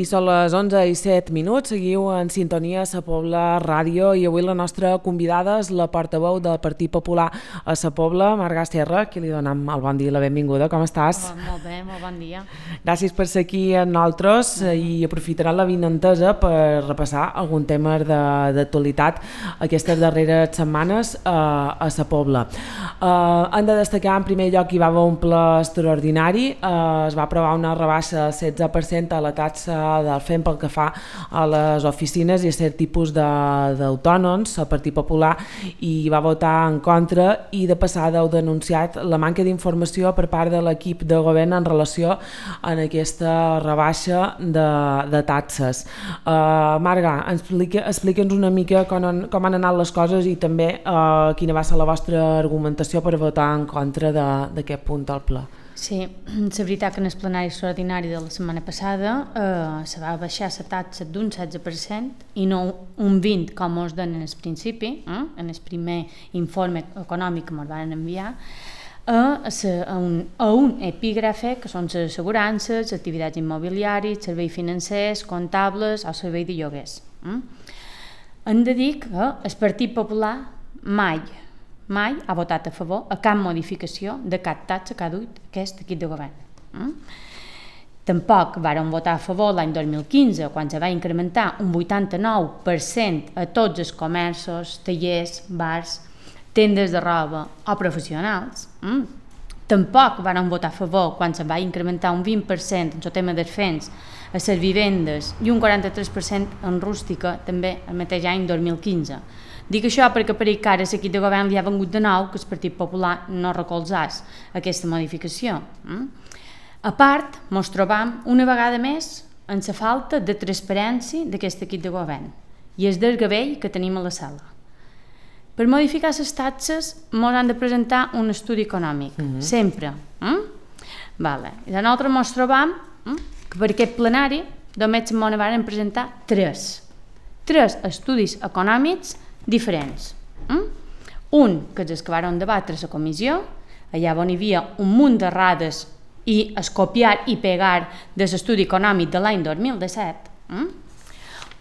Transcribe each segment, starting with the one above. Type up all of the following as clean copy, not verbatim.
són les 11:07, seguiu en sintonia a Sa Pobla Ràdio i avui la nostra convidada és la portaveu del Partit Popular a Sa Pobla, Marga Serra, a qui li donem el bon dia i la benvinguda. Com estàs? Molt bé, molt bon dia. Gràcies per ser aquí amb nosaltres i aprofitarà la vinentesa per repassar algun tema d'actualitat aquestes darreres setmanes a Sa Pobla. Hem de destacar en primer lloc que hi va haver un ple extraordinari, es va aprovar una rebaixa del 16% a la taxa del FEM pel que fa a les oficines i a cert tipus d'autònoms. El Partit Popular hi va votar en contra i de passada heu denunciat la manca d'informació per part de l'equip de govern en relació a aquesta rebaixa de taxes. Marga, explica'ns una mica com han anat les coses i també quina va ser la vostra argumentació per votar en contra d'aquest punt del ple. Sí, la veritat que en el plenari extraordinari de la setmana passada se va baixar la taxa d'un 16% i no un 20% com us donen al principi, en el primer informe econòmic que ens van enviar, a un epígrafe que són les assegurances, activitats immobiliàries, serveis financers, comptables o servei de lloguers. Hem de dir que el Partit Popular mai ha votat a favor a cap modificació de cap taxa que ha dut aquest equip de govern. Tampoc varen votar a favor l'any 2015, quan se va incrementar un 89% a tots els comerços, tallers, bars, tendes de roba o professionals. Tampoc varen votar a favor quan se va incrementar un 20% en el tema dels fens a les vivendes i un 43% en rústica també el mateix any 2015. Dic això perquè per que ara l'equip de govern li ha vengut de nou que el Partit Popular no recolzés aquesta modificació. A part, ens trobam una vegada més en la falta de transparència d'aquest equip de govern i el desgavell que tenim a la sala. Per modificar les taxes ens han de presentar un estudi econòmic, sempre. I nosaltres ens trobam que per aquest plenari només ens van presentar tres estudis econòmics diferents. Un, que és el que varen debatre a la comissió, allà on hi havia un munt d'errades i es copiar i pegar de l'estudi econòmic de l'any 2017.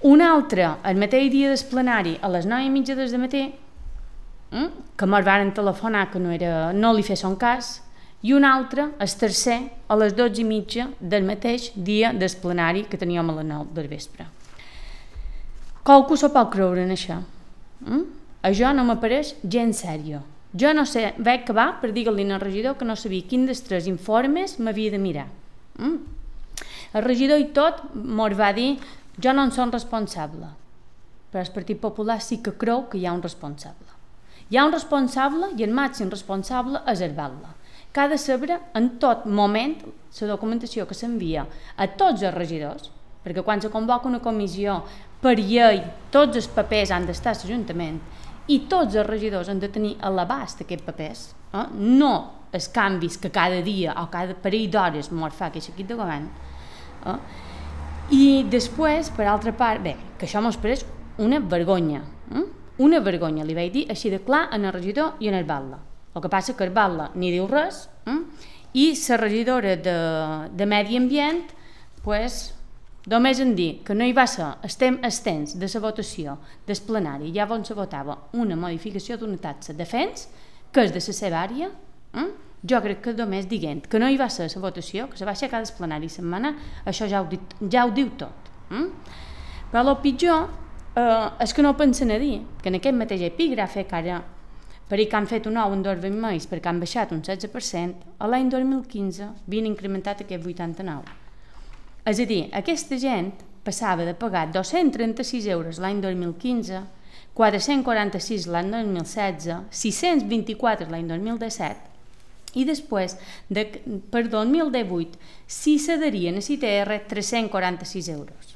Un altre, el mateix dia del plenari, a les 9:30 del matí, que ens van telefonar que no li fessin cas, i un altre, el tercer, a les 12:30 del mateix dia del plenari que teníem a les 9 del vespre. Qualcú s'ho pot creure en això? Això no m'apareix gens sèrio. Jo no sé, vaig acabar per dir-li al regidor que no sabia quin dels tres informes m'havia de mirar. El regidor i tot ens va dir jo no en som responsable, però el Partit Popular sí que creu que hi ha un responsable. Hi ha un responsable i el màxim responsable és el Batlle, que ha de saber en tot moment la documentació que s'envia a tots els regidors, perquè quan se convoca una comissió per llei tots els papers han d'estar a l'Ajuntament i tots els regidors han de tenir a l'abast aquests papers, no els canvis que cada dia o cada parell d'hores ens fa aquest equip de govern. I després, per altra part, que això ens pareix una vergonya, li vaig dir així de clar en el regidor i en el Batlle. El que passa que el Batlle ni diu res i la regidora de Medi Ambient només en dir que no hi va ser el temps de la votació del plenari, ja on se votava una modificació d'una taxa de fens, que és de la seva àrea, jo crec que només dient que no hi va ser la votació, que se va aixecar del plenari setmana, això ja ho diu tot. Però el pitjor és que no pensen a dir que en aquest mateix epígrafe, que ara per que han fet un nou en 2 mesos perquè han baixat un 16%, a l'any 2015 havien incrementat aquest 89%. És a dir, aquesta gent passava de pagar 236 euros l'any 2015, 446 l'any 2016, 624 l'any 2017 i després, per 2018, si s'adherien a CTR, 346 euros.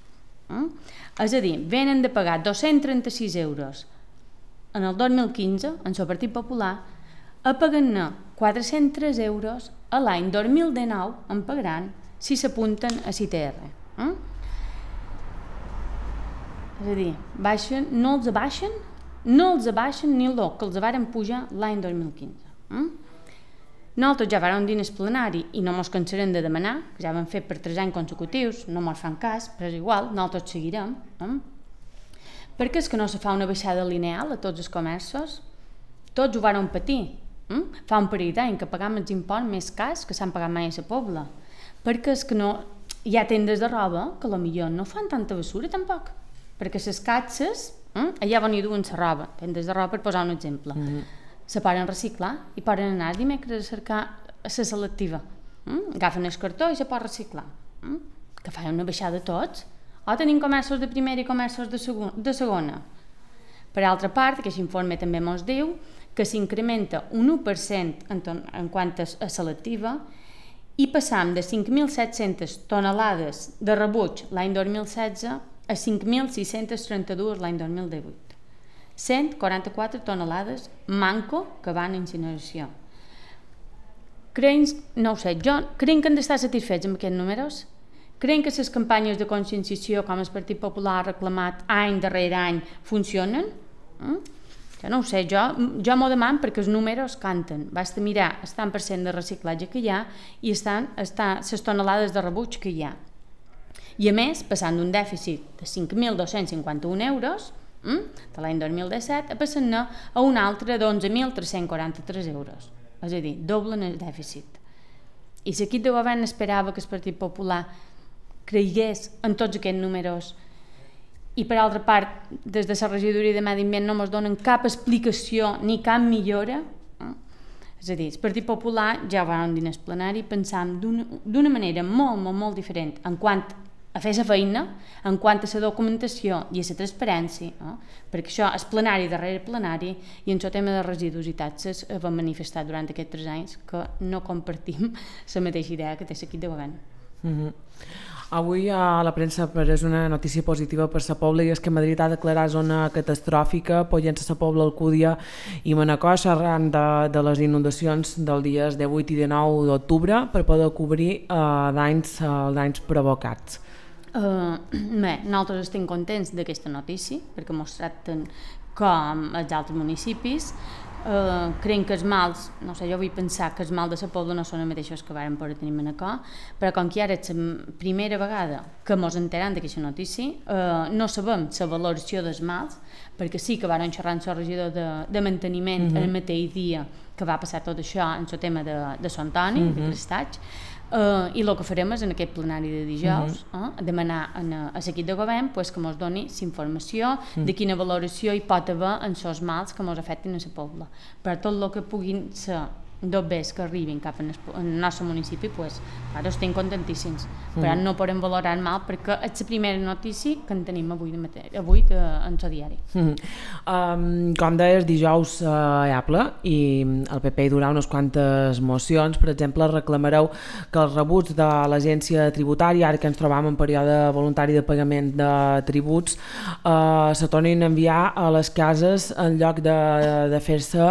És a dir, venen de pagar 236 euros en el 2015, en el Partit Popular, a pagar-ne 403 euros a l'any 2019 en pagaran si s'apunten a CTR. És a dir, no els abaixen ni el que els varen pujar l'any 2015. Nosaltres ja vam dir en el plenari i no ens cansarem de demanar, que ja vam fer per 3 anys consecutius, no ens fan cas, però és igual, nosaltres seguirem. Perquè és que no se fa una baixada lineal a tots els comerços? Tots ho varen patir. Fa un parell d'anys que pagam els imposts més cars que s'han pagat mai a la Pobla. Perquè és que no, hi ha tendes de roba que potser no fan tanta basura tampoc. Perquè les caixes, allà van hi duen la roba, tendes de roba per posar un exemple. Se poden reciclar i poden anar dimecres a cercar la selectiva. Agafen el cartó i se pot reciclar. Que fan una baixada tots. O tenim comerços de primera i comerços de segona. Per altra part, aquest informe també ens diu que s'incrementa un 1% en quant a selectiva i passam de 5.700 tonelades de rebuig l'any 2016 a 5.632 l'any 2018. 144 tonelades manco que van a incineració. No ho sé, creiem que han d'estar satisfets amb aquests números? Creiem que les campanyes de conscienciació, com el Partit Popular ha reclamat any darrere any, funcionen? Jo no ho sé, jo m'ho demano perquè els números canten. Basta mirar el tant per cent de reciclatge que hi ha i les tonelades de rebuig que hi ha. I a més, passant d'un dèficit de 5.251 euros de l'any 2017 passant-ne a un altre d'11.343 euros. És a dir, doblen el dèficit. I l'equip de govern esperava que el Partit Popular creigués en tots aquests números i per altra part, des de la regidoria de Medi Ambient no ens donen cap explicació ni cap millora. És a dir, el Partit Popular, ja ho vam dir en el plenari, pensam d'una manera molt, molt, molt diferent en quant a fer la feina, en quant a la documentació i a la transparència, perquè això és plenari darrere plenari i en el tema de residus i taxes vam manifestar durant aquests 3 anys que no compartim la mateixa idea que té l'equip de govern. Avui a la premsa és una notícia positiva per la Pobla i és que Madrid ha declarat zona catastròfica poient la Pobla, Alcúdia i Manacor arran de les inundacions dels dies 18 i 19 d'octubre per poder cobrir danys provocats. Nosaltres estem contents d'aquesta notícia perquè ens tracten com els altres municipis. Creiem que els mals, no sé, jo vull pensar que els mals de la Pobla no són els mateixos que vàrem poder tenir a Manacor, però com que ara és la primera vegada que ens enteram d'aquesta notícia, no sabem la valoració dels mals, perquè sí que vàrem xerrar amb el regidor de manteniment el mateix dia que va passar tot això en el tema de Sant Antoni, de Prestatge, i el que farem és en aquest plenari de dijous demanar a l'equip de govern que ens doni la informació de quina valoració hi pot haver en els mals que ens afecten a la Pobla. Per tot el que puguin ser dobbers que arribin cap al nostre municipi, ara estem contentíssims, però no podem valorar el mal perquè és la primera notícia que en tenim avui en el diari. Com deies, dijous hi ha ple i el PP hi durà unes quantes mocions. Per exemple, reclamareu que els rebuts de l'agència tributària, ara que ens trobam en període voluntari de pagament de tributs, se tornin a enviar a les cases en lloc de fer-se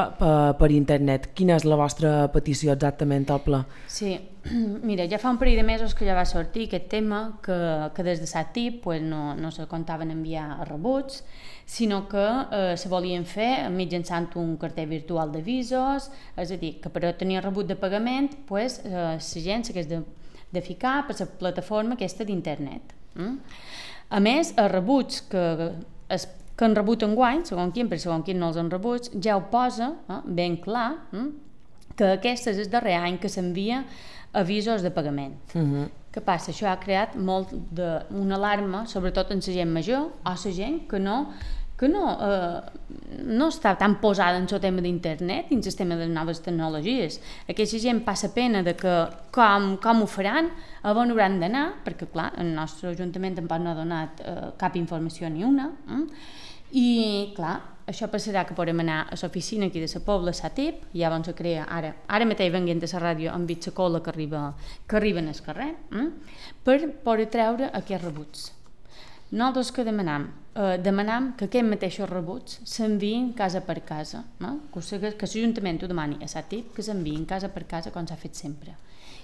per internet. Quina és la vostra petició exactament al ple? Sí, mira, ja fa un parell de mesos que ja va sortir aquest tema que des de SATIP no se comptaven enviar rebuts, sinó que se volien fer mitjançant un cartell virtual d'avisos, és a dir, que per obtenir rebut de pagament la gent s'hagués de ficar per la plataforma aquesta d'internet. A més, els rebuts que han rebut enguany, segons quin, però segons quin no els han rebut, ja ho posa ben clar que aquest és el darrer any que s'envia avisos de pagament. Què passa? Això ha creat molt una alarma, sobretot en la gent major o la gent que no està tan posada en el tema d'internet i en el tema de les noves tecnologies. Aquesta gent passa pena de que com ho faran, a on hauran d'anar, perquè clar, el nostre Ajuntament tampoc no ha donat cap informació ni una, i clar, això passarà que podrem anar a l'oficina aquí de la Pobla, a SATIP, i llavors se crea, ara mateix venint a la ràdio han vist la cola que arriben al carrer, per poder treure aquests rebuts. Nosaltres que demanam? demanam que aquests mateixos rebuts s'enviïn casa per casa, que l'Ajuntament ho demani a SATIP, que s'enviïn casa per casa com s'ha fet sempre.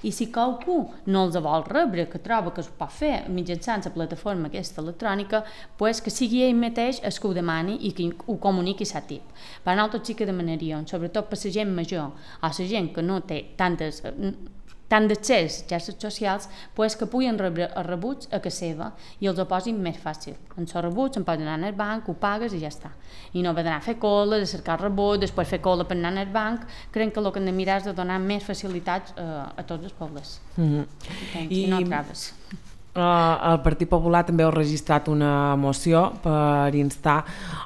I si qualcú no els vol rebre, que troba que es pot fer mitjançant la plataforma aquesta electrònica, pues que sigui ell mateix el que ho demani i que ho comuniqui a SATIP. Per nosaltres sí que demanaríem, sobretot per la gent major o la gent que no té tant d'accés a xarxes socials, pues que puguin rebre els rebuts a casa seva i els ho posin més fàcil. En els rebuts en poden anar al banc, ho pagues i ja està. I no haver d'anar a fer cola, de cercar el rebut, després fer cola per anar al banc. Crec que el que hem de mirar és de donar més facilitats a tots els pobles. I no traves. El Partit Popular també ha registrat una moció per instar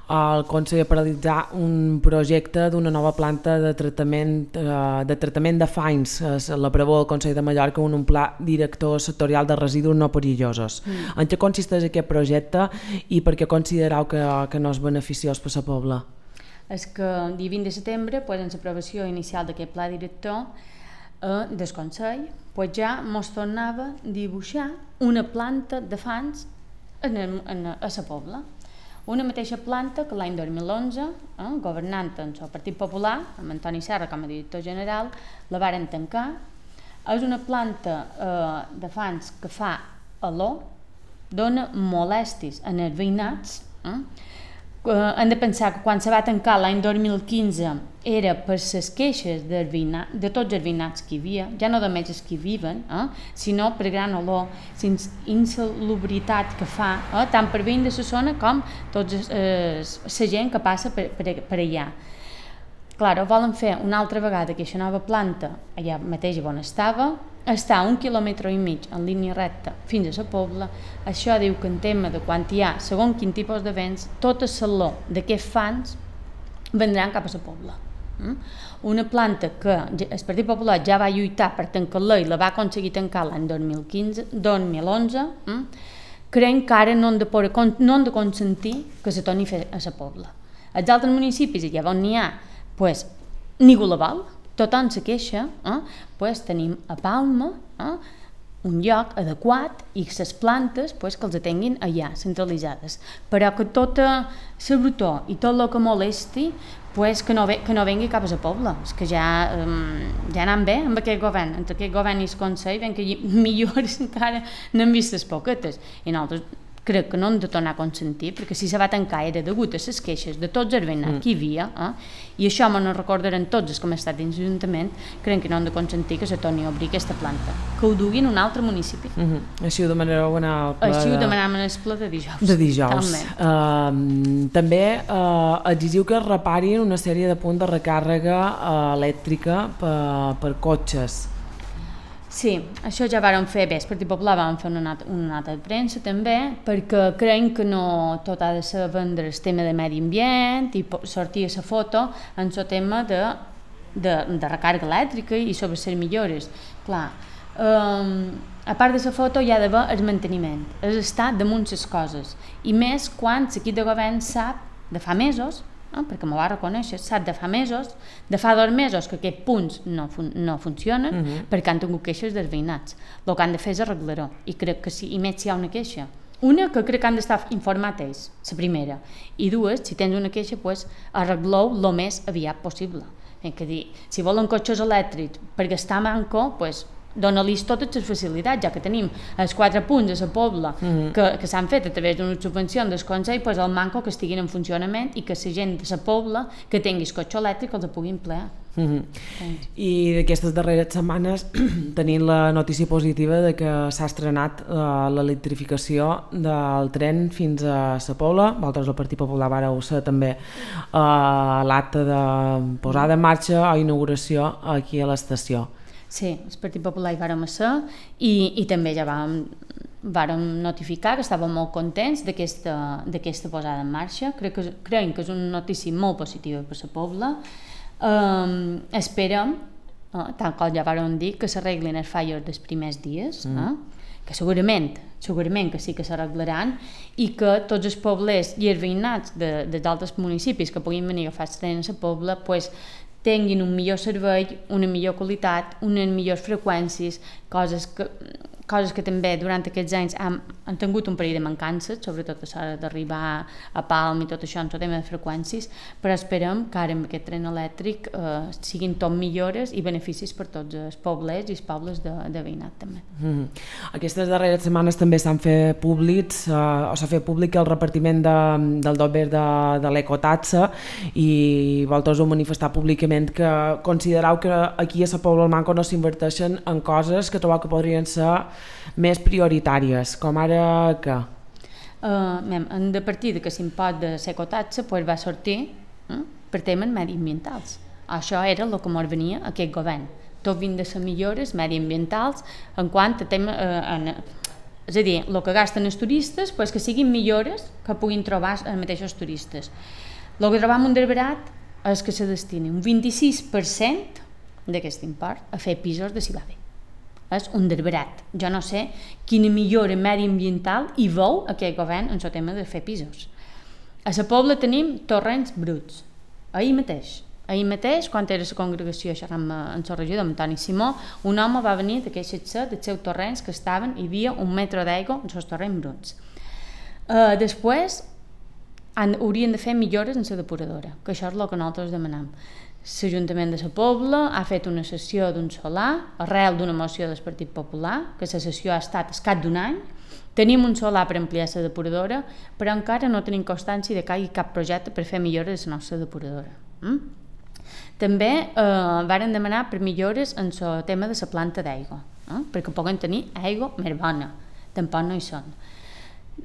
el Consell a paralitzar un projecte d'una nova planta de tractament de fangs. La preveu el Consell de Mallorca un pla director sectorial de residus no perillosos. En què consisteix aquest projecte i per què considereu que no és beneficiós per la pobla? És que el dia 20 de setembre, en l'aprovació inicial d'aquest pla director del Consell, ja ens tornava a dibuixar una planta de fangs a la pobla. Una mateixa planta que l'any 2011, governant en el Partit Popular, amb Antoni Serra com a director general, la varen tancar. És una planta de fangs que fa olor, dona molèsties en els veïnats. Hem de pensar que quan se va tancar l'any 2015 era per les queixes de tots els veïnats que hi havia, ja no només els que hi viven, sinó per gran olor, insalubritat que fa, tant per veïns de la zona com tota la gent que passa per allà. Clar, volen fer una altra vegada aquesta nova planta allà mateix on estava, està a 1,5 quilòmetres en línia recta fins a la pobla. Això diu que en tema de quan hi ha segons quin tipus de vents, tot el saló d'aquests fangs vendran cap a la pobla. Una planta que el Partit Popular ja va lluitar per tancar-la i la va aconseguir tancar l'any 2011, creiem que ara no hem de consentir que se torni a fer a la pobla. Els altres municipis, allà on n'hi ha, ningú la vol, tothom se queixa, tenim a Palma un lloc adequat i les plantes que els tinguin allà, centralitzades. Però que tota la brutor i tot el que molesti que no vengui cap a la pobla. És que ja anant bé amb aquest govern, entre aquest govern i el Consell, ben que millors encara n'hem vist les poquetes. I nosaltres crec que no hem de tornar a consentir, perquè si se va tancar era degut a les queixes de tots els veïnats que hi havia, i això me'n recordaran tots els que hem estat dins l'Ajuntament, crec que no hem de consentir que se torni a obrir aquesta planta, que ho duguin a un altre municipi. Així ho demanareu en el ple Així ho demanàvem en el ple de dijous. També exigiu que es reparin una sèrie de punts de recàrrega elèctrica per cotxes. Sí, això ja vàrem fer bé, el Partit Popular vam fer una nota de premsa també, perquè creiem que no tot ha de ser vendre el tema de medi ambient i sortir a la foto en el tema de recàrrega elèctrica i sobre les millores. Clar, a part de la foto hi ha d'haver el manteniment, és estar damunt les coses, i més quan l'equip de govern sap de fa mesos, perquè m'ho va reconèixer, sap de fa 2 mesos que aquests punts no funcionen perquè han tingut queixes dels veïnats. El que han de fer és arreglar-ho, i crec que sí, i més si hi ha una queixa. Una, que crec que han d'estar informats ells, la primera, i dues, si tens una queixa, arregleu el més aviat possible. Si volen cotxes elèctrics per gastar manco, dona-los totes les facilitats, ja que tenim els 4 punts a la pobla que s'han fet a través d'una subvenció del Consell, el manco que estiguin en funcionament i que la gent de la pobla que tingui cotxe elèctric els pugui emplear. I d'aquestes darreres setmanes tenim la notícia positiva de que s'ha estrenat l'electrificació del tren fins a la pobla. Vosaltres, el Partit Popular, vareu ser també l'acte de posada en marxa o inauguració aquí a l'estació. Sí, el Partit Popular hi vàrem ser i també ja vàrem notificar que estàvem molt contents d'aquesta posada en marxa. Creiem que és una notícia molt positiva per la pobla. Esperem, tal com ja vàrem dir, que s'arreglin els fallos dels primers dies, que segurament que sí que s'arreglaran, i que tots els poblers i els veïnats dels altres municipis que puguin venir a agafar el tren a la pobla tinguin un millor servei, una millor qualitat, unes millors freqüències, coses que també durant aquests anys han tingut un parell de mancances, sobretot a l'hora d'arribar a Palma i tot això en el tema de freqüències, però esperem que ara amb aquest tren elèctric siguin tot millores i beneficis per tots els poblets i els pobles de veïnat també. Aquestes darreres setmanes també s'han fet públics, s'ha fet públic el repartiment del dober de l'ecotaxa i vosaltres heu manifestat públicament que considereu que aquí a la Pobla del Manco no s'inverteixen en coses que trobeu que podrien ser més prioritàries, com ara què? De partir que l'impost de l'ecotaxa va sortir per temes mediambientals. Això era el que ens venia aquest govern. Tot vint de les millores mediambientals en quant a temes... És a dir, el que gasten els turistes, que siguin millores que puguin trobar els mateixos turistes. El que trobam un derberat és que se destini un 26% d'aquest import a fer pisos de Cibade. És un derberat. Jo no sé quina millora mediambiental hi veu aquest govern en el tema de fer pisos. A la Pobla tenim torrents bruts. Ahir mateix, quan era la congregació xerrant amb el regidor Antoni Simó, un home va venir de queixar-se dels seus torrents que hi havia 1 metre d'aigua en els torrents bruts. Després haurien de fer millores en la depuradora, que això és el que nosaltres demanem. L'Ajuntament de la Pobla ha fet una sessió d'un solar arrel d'una moció del Partit Popular, que la sessió ha estat escat d'un any. Tenim un solar per ampliar la depuradora, però encara no tenim constància de que hi hagi cap projecte per fer millores a la nostra depuradora. També varen demanar per millores en el tema de la planta d'aigua, perquè puguen tenir aigua més bona. Tampoc no hi són.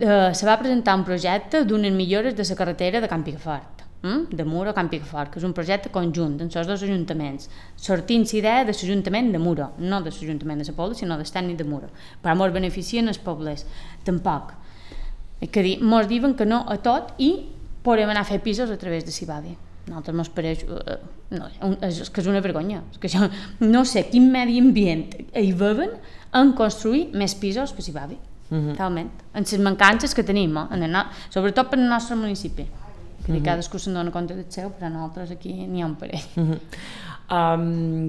Se va presentar un projecte d'unes millores de la carretera de Can Picafort, de Muro a Can Picafort, que és un projecte conjunt entre els dos ajuntaments, sortint l'idea de l'Ajuntament de Muro, no de l'Ajuntament de la Pobla, sinó del tècnic de Muro, però ens beneficien els pobles. Tampoc. Que dir, ens diuen que no a tot i podem anar a fer pisos a través de Cibade. Nosaltres ens pareix... és que és una vergonya. És que això, no sé quin medi ambient hi veuen en construir més pisos per Cibade. Talment. En les mancances que tenim, sobretot per al nostre municipi. Que cadascú se'n dona compte del seu, però nosaltres aquí n'hi ha un parell.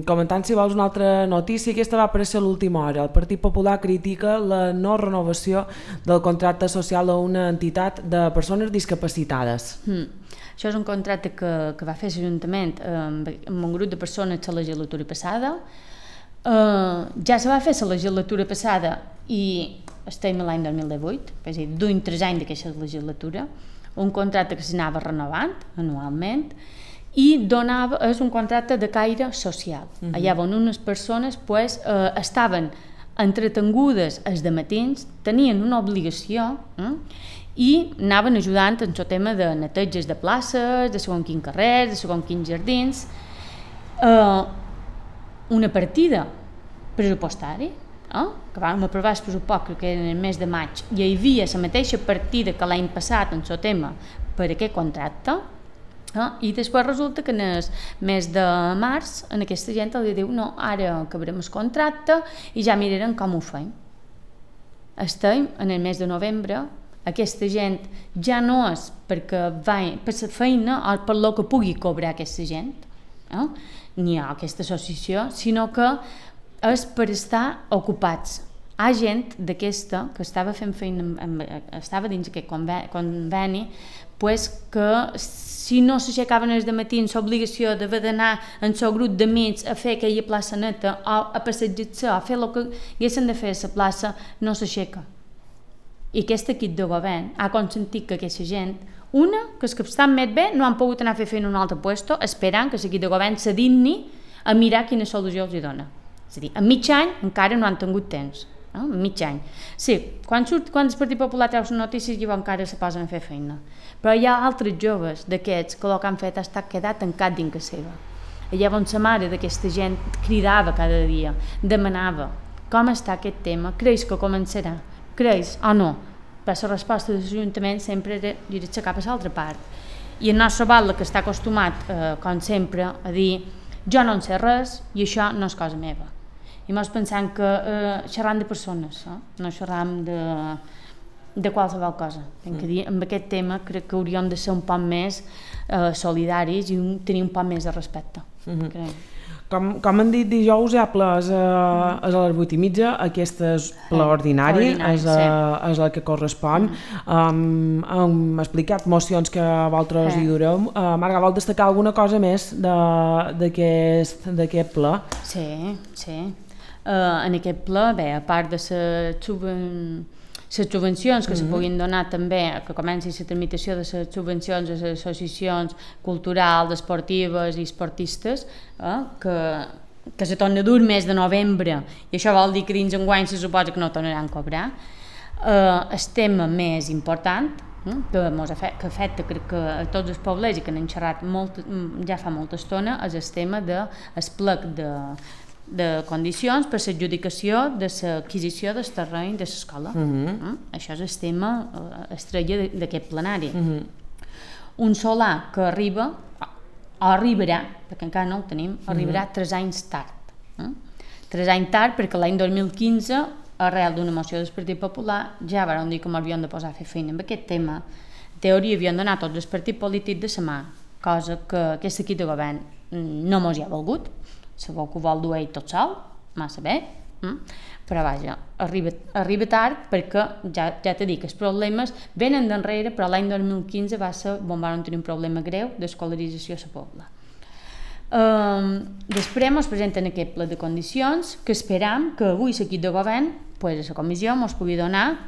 Comentant, si vols, una altra notícia, aquesta va aparèixer a l'última hora. El Partit Popular critica la no renovació del contracte social a una entitat de persones discapacitades. Això és un contracte que va fer l'Ajuntament amb un grup de persones la legislatura passada. Ja se va fer la legislatura passada i estem a l'any 2018, és a dir, duim 3 anys d'aquesta legislatura, un contracte que s'anava renovant anualment i és un contracte de caire social. Allà on unes persones estaven entretengudes els dematins, tenien una obligació i anaven ajudant en el tema de neteges de places, de segons quins carrers, de segons quins jardins. Una partida pressupostària, que vam aprovar el pressupost, que era en el mes de maig, i hi havia la mateixa partida que l'any passat en el tema per aquest contracte, i després resulta que en el mes de març en aquesta gent li diu no, ara acabarem el contracte i ja mirarem com ho fem. Estem en el mes de novembre, aquesta gent ja no és perquè va per la feina o per el que pugui cobrar aquesta gent, ni ha aquesta associació, sinó que és per estar ocupats. Hi ha gent d'aquesta que estava fent feina, estava dins aquest conveni, que si no s'aixecaven els dematins l'obligació d'haver d'anar en el grup d'amics a fer aquella plaça neta o a passejar-se o a fer el que haguessin de fer a la plaça, no s'aixeca. I aquest equip de govern ha consentit que aquesta gent, que els que estan més bé no han pogut anar a fer feina a un altre lloc, esperant que l'equip de govern se digni a mirar quina solució els dona. És a dir, en mig any encara no han tingut temps. En mig any. Sí, quan el Partit Popular treu les notícies llavors encara se posen a fer feina. Però hi ha altres joves d'aquests que el que han fet ha estat quedar tancat dins casa seva. Llavors la mare d'aquesta gent cridava cada dia, demanava com està aquest tema, creus que començarà, creus o no? Però la resposta de l'Ajuntament sempre era girar-se cap a l'altra part. I el nostre batlle, que està acostumat, com sempre, a dir jo no en sé res i això no és cosa meva. I mos pensant que xerram de persones, no xerram de qualsevol cosa. Tinc que dir, amb aquest tema crec que hauríem de ser un poc més solidaris i tenir un poc més de respecte. Com han dit dijous, hi ha ple, és a les 8:30, aquest és ple ordinari, és el que correspon. Hem explicat mocions que vosaltres hi dureu. Marga, vol destacar alguna cosa més d'aquest ple? Sí. En aquest ple, bé, a part de les subvencions que se puguin donar també, que comenci la tramitació de les subvencions a les associacions culturals, esportives i esportistes, que se torna a dur mes de novembre, i això vol dir que dins enguany se suposa que no tornaran a cobrar. El tema més important que afecta crec que a tots els pobles i que n'hem xerrat ja fa molta estona és el tema del plec de condicions per l'adjudicació de l'adquisició del terreny de l'escola. Això és el tema estrella d'aquest plenari. Un solar que arriba, o arribarà, perquè encara no el tenim, arribarà 3 anys tard. 3 anys tard perquè l'any 2015, arrel d'una moció del Partit Popular, ja van dir que m'havien de posar a fer feina amb aquest tema. En teoria havien d'anar tots els partits polítics de la mà, cosa que aquest equip de govern no mos hi ha volgut. Sabeu que ho vol dur ell tot sol, massa bé, però vaja, arriba tard perquè ja t'he dit que els problemes venen d'enrere, però l'any 2015 va ser on vam tenir un problema greu d'escolarització a la pobla. Després ens presenten aquest pla de condicions que esperam que avui l'equip de govern, a la comissió, ens pugui donar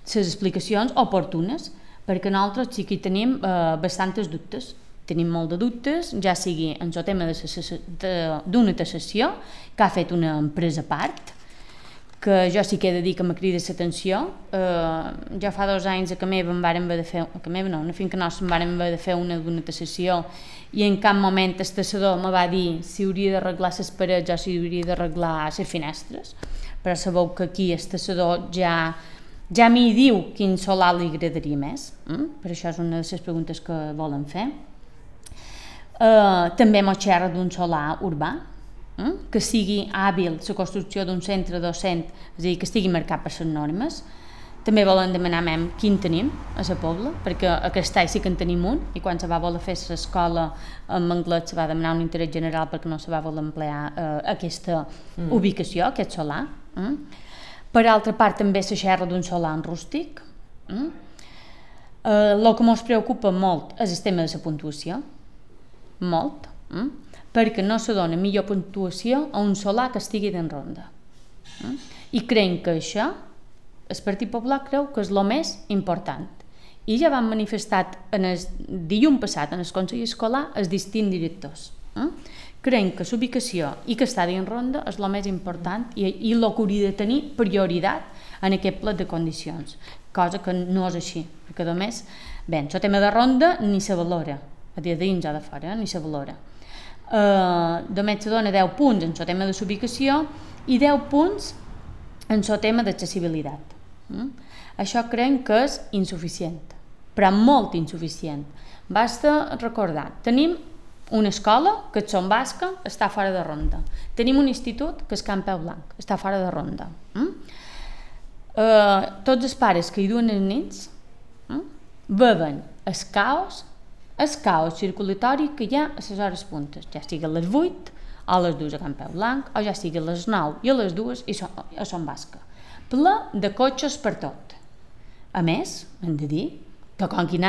les explicacions oportunes, perquè nosaltres sí que tenim bastants dubtes. Tenim molt de dubtes, ja sigui en el tema d'una taxació que ha fet una empresa a part, que jo sí que he de dir que m'ha cridat l'atenció. Ja fa 2 anys que meva em varen haver de fer, una finca nostra em varen haver de fer d'una taxació i en cap moment el taxador me va dir si hauria d'arreglar les parets o si hauria d'arreglar les finestres, però sabeu que aquí el taxador ja m'hi diu quin solar li agradaria més, per això és una de les preguntes que volen fer. També mos xerra d'un solar urbà, que sigui hàbil la construcció d'un centre docent, és a dir, que estigui marcat per les normes. També volen demanar quin tenim a la pobla, perquè a Castell sí que en tenim un, i quan se va voler fer l'escola en anglès se va demanar un interès general perquè no se va voler emplear aquesta ubicació, aquest solar. Per altra part també se xerra d'un solar en rústic. El que ens preocupa molt és el tema de la puntuació, molt, perquè no se dona millor puntuació a un solar que estigui en ronda. I creiem que això, el Partit Popular creu que és el més important. I ja van manifestar el dilluns passat en el Consell Escolar els distints directors. Creiem que l'ubicació i que està dins ronda és el més important i el que hauria de tenir prioritat en aquest pla de condicions, cosa que no és així, perquè només, bé, el tema de ronda ni se valora, a dia dins o de fora, ni se valora. Només se dona 10 punts en el tema de l'ubicació i 10 punts en el tema d'accessibilitat. Això creiem que és insuficient, però molt insuficient. Basta recordar, tenim una escola, que és Son Basca, està fora de ronda. Tenim un institut, que és Can Peu Blanc, està fora de ronda. Tots els pares que hi duen els nens veuen el caos circulatori que hi ha a les hores puntes, ja sigui a les 8 o a les 2 a Can Peu Blanc, o ja sigui a les 9 i a les 2 a Son Basca. Ple de cotxes per tot. A més, hem de dir que com que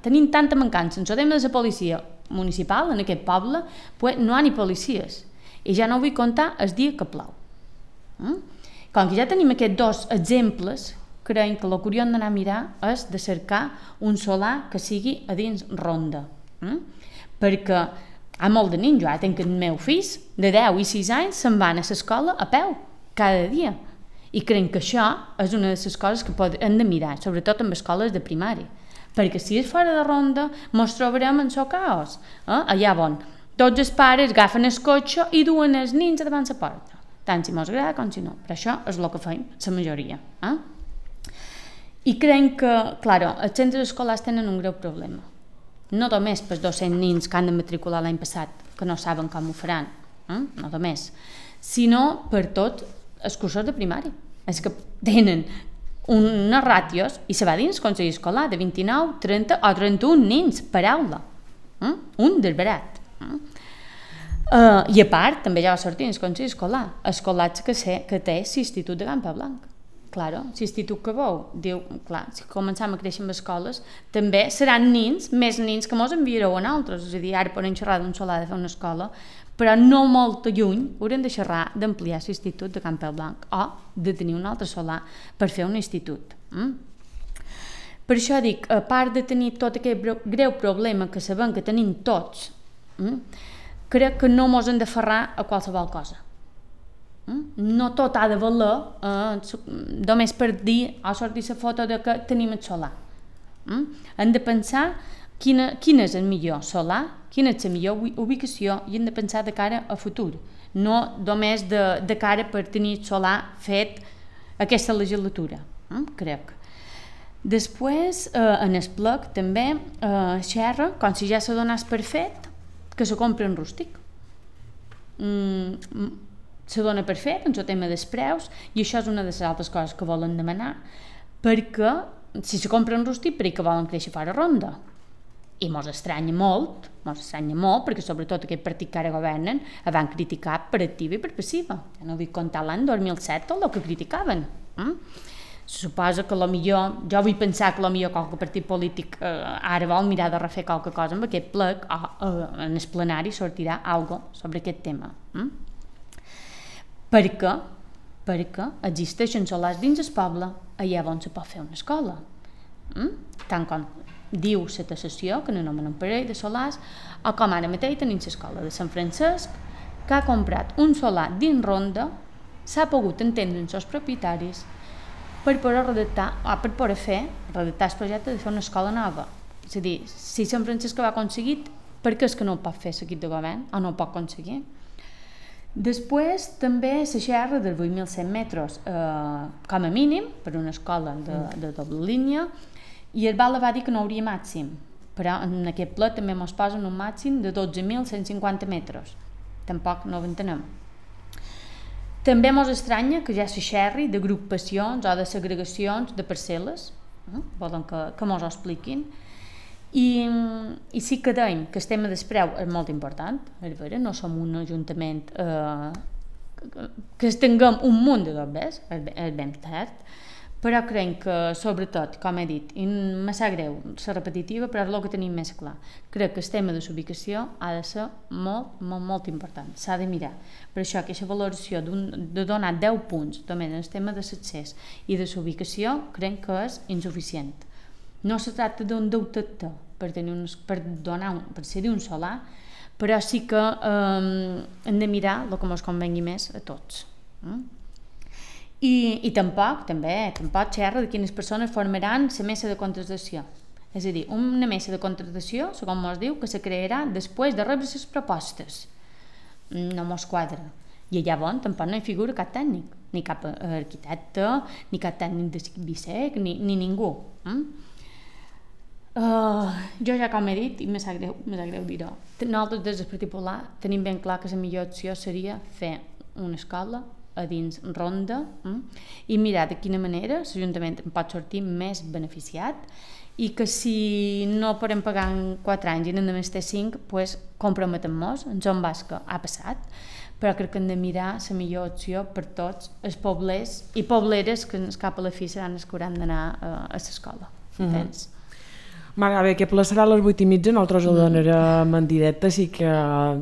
tenim tanta mancança en el tema de la policia municipal en aquest poble, no hi ha ni policies. I ja no vull comptar el dia que plou. Com que ja tenim aquests 2 exemples, creiem que el que hauríem d'anar a mirar és de cercar un solar que sigui a dins ronda. Perquè hi ha molt de nens, jo tenc els meus fills de 10 i 6 anys se'n van a l'escola a peu, cada dia. I creiem que això és una de les coses que hem de mirar, sobretot en escoles de primària. Perquè si és fora de ronda, ens trobarem en el caos. Allà on tots els pares agafen el cotxe i duen els nens davant la porta. Tant si ens agrada com si no. Però això és el que fem, la majoria. I creiem que, clar, els centres escolars tenen un greu problema. No només pels 200 nens que han de matricular l'any passat, que no saben com ho faran, no només, sinó per tot els cursos de primària. És que tenen unes ràtios, i se va dins el Consell Escolar, de 29, 30 o 31 nens per aula. Un desbarat. I a part, també ja va sortir en el Consell Escolar, escolats que té l'Institut de Campablanc. Claro, l'institut que veu, diu, clar, si començam a créixer amb escoles, també seran nins, més nins que mos enviareu a nosaltres, és a dir, ara podem xerrar d'un solar de fer una escola, però no molt lluny haurem de xerrar d'ampliar l'institut de Campablanc o de tenir un altre solar per fer un institut. Per això dic, a part de tenir tot aquest greu problema que sabem que tenim tots, crec que no mos hem d'aferrar a qualsevol cosa. No tot ha de valer només per dir o sortir la foto de que tenim el solar. Hem de pensar quin és el millor solar, quina és la millor ubicació i hem de pensar de cara a futur, no només de cara per tenir el solar fet aquesta legislatura, crec. Després, en el plec també xerra, com si ja se donés per fet, que se compra en rústic. Se dona per fet en el tema dels preus i això és una de les altres coses que volen demanar, perquè si se compra en rústic perquè volen créixer fora ronda i mos estranya molt perquè sobretot aquest partit que ara governen el van criticar per activa i per passiva. Ja no vull contar l'any 2007 tot el que criticaven. Se suposa que jo vull pensar que potser qualque partit polític ara vol mirar de refer qualque cosa amb aquest plec o en el plenari sortirà alguna cosa sobre aquest tema. Perquè existeixen solars dins el poble allà on se pot fer una escola. Tant com diu la taxació, que n'anomenen un parell de solars, o com ara mateix tenim l'escola de Sant Francesc, que ha comprat un solar dins ronda, s'ha pogut entendre amb els propietaris per poder redactar el projecte de fer una escola nova. És a dir, si Sant Francesc ho ha aconseguit, per què és que no ho pot fer l'equip de govern o no ho pot aconseguir? Després també se xerra dels 8.100 metres com a mínim per una escola de doble línia i el Bala va dir que no hauria màxim, però en aquest ple també ens posen un màxim de 12.150 metres. Tampoc no ho entenem. També ens estranya que ja se xerri d'agrupacions o de segregacions de parcel·les, volen que ens ho expliquin. I sí que dèiem que el tema del preu és molt important, no som un ajuntament que tinguem un munt de dobbers, és ben tard, però crec que sobretot, com he dit, i me sap greu ser repetitiva, però és el que tenim més clar, crec que el tema de l'ubicació ha de ser molt important, s'ha de mirar. Per això aquesta valoració de donar 10 punts només en el tema de l'accés i de l'ubicació crec que és insuficient. No se tracta d'un deutector per cedir un solar, però sí que hem de mirar el que ens convengui més a tots. I tampoc xerra de quines persones formaran la mesa de contractació. És a dir, una mesa de contractació, segons ens diu, que se crearà després de rebre les propostes. No ens quadra. I llavors tampoc no hi figura cap tècnic, ni cap arquitecte, ni cap tècnic de BISEC, ni ningú. Jo ja com he dit, i me sap greu dir-ho, nosaltres des del Partit Popular tenim ben clar que la millor opció seria fer una escola a dins ronda i mirar de quina manera l'Ajuntament en pot sortir més beneficiat i que si no podem pagar en 4 anys i només té 5, doncs comprometem-nos, en Joan Basca ha passat, però crec que hem de mirar la millor opció per tots els poblers i pobleres que cap a la fi seran els que hauran d'anar a l'escola. Entens? Bé, aquest ple serà a les 8:30, nosaltres el donarem en directe, així que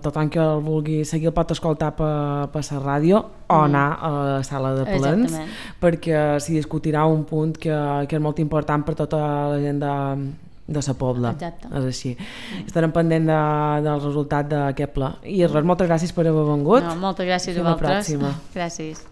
tothom que el vulgui seguir el pot escoltar per la ràdio o anar a la sala de plens, perquè s'hi discutirà un punt que és molt important per tota la gent de la pobla. Exacte. És així. Estarem pendent del resultat d'aquest ple. I res, moltes gràcies per haver vengut. Moltes gràcies a vosaltres. Gràcies.